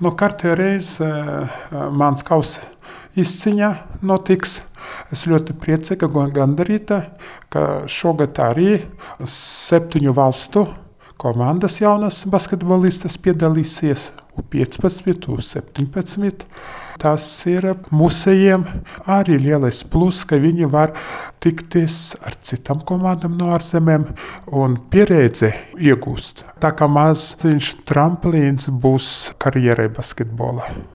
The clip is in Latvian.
Kārtējo reizi mans kausa izciņā notiks. Es ļoti priecīga un gandarīta, ka šogad arī 7 valstu komandas jaunas basketbolistas piedalīsies U15, U17. Tas ir mūsējiem arī lielais plus, ka viņi var tikties ar citām komandām no ārzemēm un pieredzi iegūst. Tā kā maziņš tramplīns būs karjerai basketbolā.